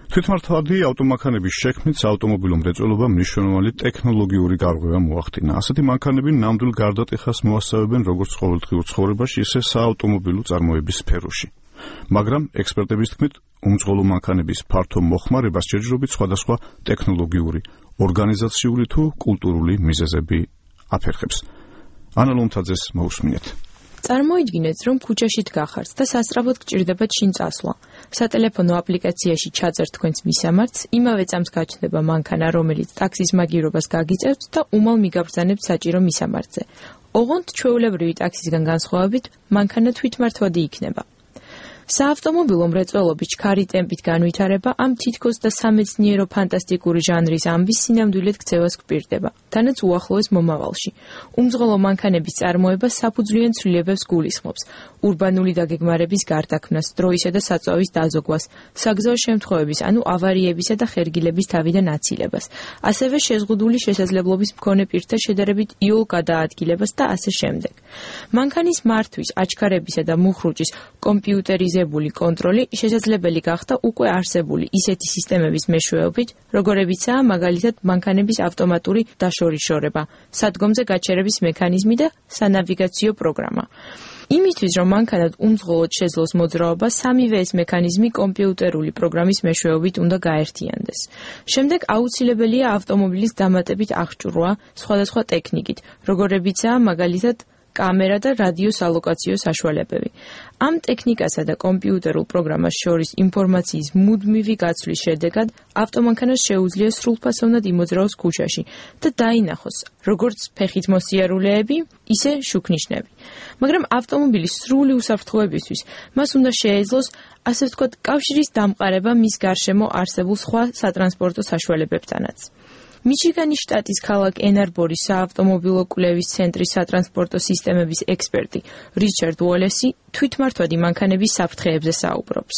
თვითმართვადი ავტომანქანების შექმნით საავტომობილო მრეწველობამ მნიშვნელოვანი ტექნოლოგიური გარღვევა მოახდინა. ასეთი მანქანები ნამდვილ გარდატეხას მოასწავებენ როგორც ყოველდღიურ ცხოვრებაში, ისე საავტომობილო წარმოების სფეროში. მაგრამ ექსპერტების თქმით, უმძღოლო მანქანების ფართო მოხმარებას ჯერჯერობით სხვადასხვა ტექნოლოგიური, ორგანიზაციული თუ კულტურული მიზეზები აფერხებს. ანა ლომთაძეს მოусმინეთ. წარმოიდგინეთ, რომ ქუჩაშით გახართ და სასწრაფოდ გჭირდება ჩინ წასვლა. სატელეფონო აპლიკაციაში ჩაწერთ თქვენს მისამართს, იმავე წამს გაჩნდება მანქანა, რომელიც ტაქსის მაგირობას გაგიწევთ და უმალ მიგაბრძანებთ საჭირო მისამართზე. ოღონდ ჩვეულებრივი ტაქსისგან განსხვავებით, მანქანა თვითმართვადი იქნება. საავტომობილო მრეწველობის ჩქარი ტემპით განვითარება ამ თითქოს და სამეცნიერო ფანტასტიკური ჟანრის ამბის სინამდვილედ ქცევას გვპირდება, თანაც უახლოეს მომავალში. უმძღოლო მანქანების წარმოება საფუძვლიან ცვლილებებს გულისხმობს, ურბანული დაგეგმარების გარდაქმნას, დროისა და საწვავის დაზოგვას, საგზაო შემთხვევების, ანუ ავარიებისა და ხერგილების თავიდან აცილებას, ასევე შეზღუდული შესაძლებლობის მქონე პირთა შედარებით იოლ გადაადგილებას და ასე შემდეგ. მანქანის მართვის, აჩქარებისა და მუხრუჭის კომპიუტერიზებული კონტროლი შესაძლებელი გახდა უკვე არსებული ისეთი სისტემების მეშვეობით, როგორებიცაა მაგალითად მანქანების ავტომატური დაშორიშორება, სადგომზე გაჩერების მექანიზმი და სანავიგაციო პროგრამა. იმისთვის, რომ მანქანად უმძღოლოდ შეძლოს მოძრაობა, სამივე ეს მექანიზმი კომპიუტერული პროგრამის მეშვეობით უნდა გაერთიანდეს. შემდეგ აუცილებელია ავტომობილის დამატებით აღჭურვა სხვადასხვა ტექნიკით, როგორებიცაა მაგალითად კამერა და რადიოს ალოკაციო საშუალებები. ამ ტექნიკასა და კომპიუტერულ პროგრამას შორის ინფორმაციის მუდმივი გაცვლის შედეგად ავტომანქანას შეუძლია სრულფასოვნად იმოძრაოს ქუჩაში და დაინახოს როგორც ფეხით მოსიარულეები, ისე შუქნიშნები. მაგრამ ავტომობილის სრული უსაფრთხოებისთვის მას უნდა შეეძლოს, ასე ვთქვათ, კავშირის დამყარება მის გარშემო არსებულ სხვა სატრანსპორტო საშუალებებთანაც. მიჩიგანის შტატის ქალაქ ენარბორის საავტომობილო კვლევის ცენტრის სატრანსპორტო სისტემების ექსპერტი რიჩარდ უოლესი თვითმართვადი მანქანების საფრთხეებზე საუბრობს.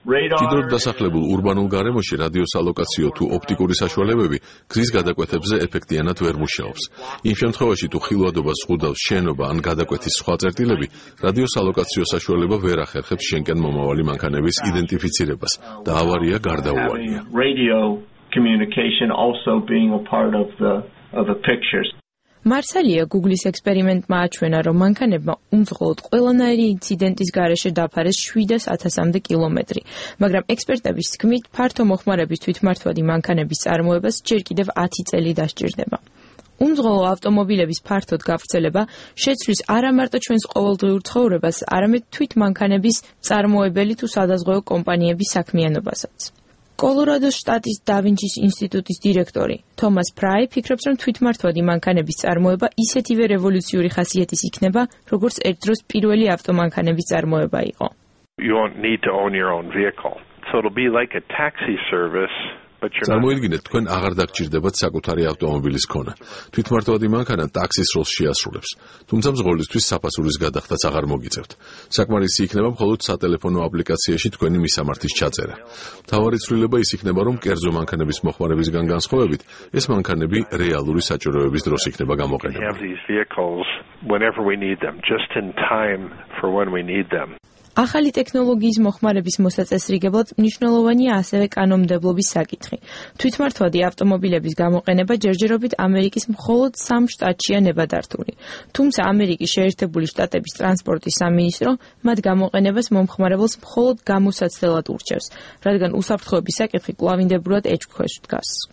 მჭიდროდ დასახლებულ ურბანულ გარემოში რადიოს ალოკაციო თუ ოპტიკური საშუალებები გზის გადაკვეთებზე ეფექტიანად ვერ მუშაობს. იმ შემთხვევაში თუ ხილვადობა ზღუდავს შენობა ან გადაკვეთის სხვა წერტილები, რადიოს ალოკაციო საშუალება ვერ ახერხებს შენკენ მომავალი მანქანების იდენტიფიცირებას და ავარია გარდაუვალია. მარსალია Google-ის ექსპერიმენტმა აჩვენა, რომ მანქანებმა უმძღოლოდ ყველანაირი ინციდენტის გარეშე დაფარეს 700,000-მდე კილომეტრი, მაგრამ ექსპერტების თქმით, ფართო მოხმარების თვითმართვადი მანქანების წარმოებას ჯერ კიდევ 10 წელი დასჭირდება. უმძღოლო ავტომობილების ფართოდ გავრცელება შეცვლის არა მარტო ჩვენს ყოველდღიურ ცხოვრებას, არამედ თვით მანქანების მწარმოებელი თუ სადაზღვეო კომპანიების საქმიანობასაც. კოლორადოს შტატის დავინჩის ინსტიტუტის დირექტორი თომას ფრაი ფიქრობს, რომ თვითმართვადი მანქანების წარმოება ისეთივე რევოლუციური ხასიათის იქნება, როგორც ერთ დროს პირველი ავტომანქანების წარმოება იყო. You won't need to own your own vehicle. So it'll be like a taxi service. წარმოიდგინეთ, თქვენ აღარ დაგჭირდებათ საკუთარი ავტომობილის ქონა. თვითმართვადი მანქანა ტაქსის როლს შეასრულებს, თუმცა მძღოლისთვის საფასურის გადახდაც აღარ მოგიწევთ. საკმარისი იქნება მხოლოდ სატელეფონო აპლიკაციაში თქვენი მისამართის ჩაწერა. მთავარი ცვლილება ის იქნება, რომ კერძო მანქანების მოხმარებისგან განსხვავებით, ეს მანქანები რეალური საჭიროების დროს იქნება გამოყენებული. ახალი ტექნოლოგიის მოხმარების მოსაწესრიგებლად მნიშვნელოვანია ასევე კანონმდებლობის საკითხი. თვითმართვადი ავტომობილების გამოყენება ჯერჯერობით ამერიკის მხოლოდ 3 შტატშია ნებადართული. თუმცა ამერიკის შეერთებული შტატების ტრანსპორტის სამინისტრო მათ გამოყენებას მომხმარებელს მხოლოდ გამოსაცდელად ურჩევს, რადგან უსაფრთხოების საკითხი კვლავინდებურად ეჭვქვეშ დგას.